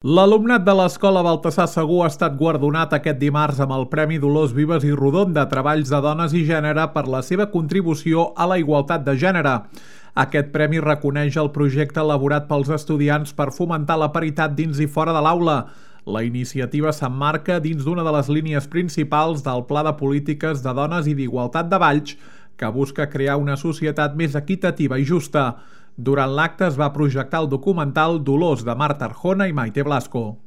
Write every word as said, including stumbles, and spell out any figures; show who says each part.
Speaker 1: L'alumnat de l'Escola Baltasar Segú ha estat guardonat aquest dimarts amb el Premi Dolors Vives i Rodon de Treballs de Dones i Gènere per la seva contribució a la igualtat de gènere. Aquest premi reconeix el projecte elaborat pels estudiants per fomentar la paritat dins i fora de l'aula. La iniciativa s'emmarca dins d'una de les línies principals del Pla de Polítiques de Dones i d'Igualtat de Valls, que busca crear una societat més equitativa i justa. Durant l'acte es va projectar el documental Dolors de Marta Arjona i Maite Blasco.